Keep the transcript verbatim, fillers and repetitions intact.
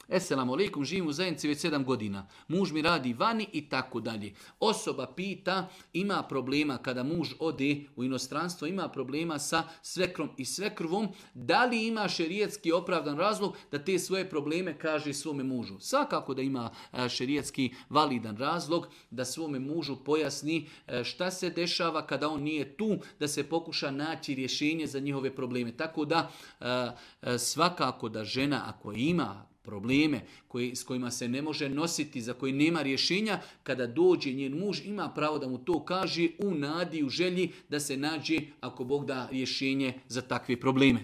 Eselamu alaikum, živim u zajednici već sedam godina. Muž mi radi vani i tako dalje. Osoba pita, ima problema kada muž ode u inostranstvo, ima problema sa svekrom i svekrvom, da li ima šerijetski opravdan razlog da te svoje probleme kaže svome mužu. Svakako da ima šerijetski validan razlog da svome mužu pojasni šta se dešava kada on nije tu, da se pokuša naći rješenje za njihove probleme. Tako da svakako da žena ako ima probleme koji, s kojima se ne može nositi, za koji nema rješenja, kada dođe njen muž ima pravo da mu to kaže u nadi, u želji da se nađe, ako Bog da, rješenje za takve probleme.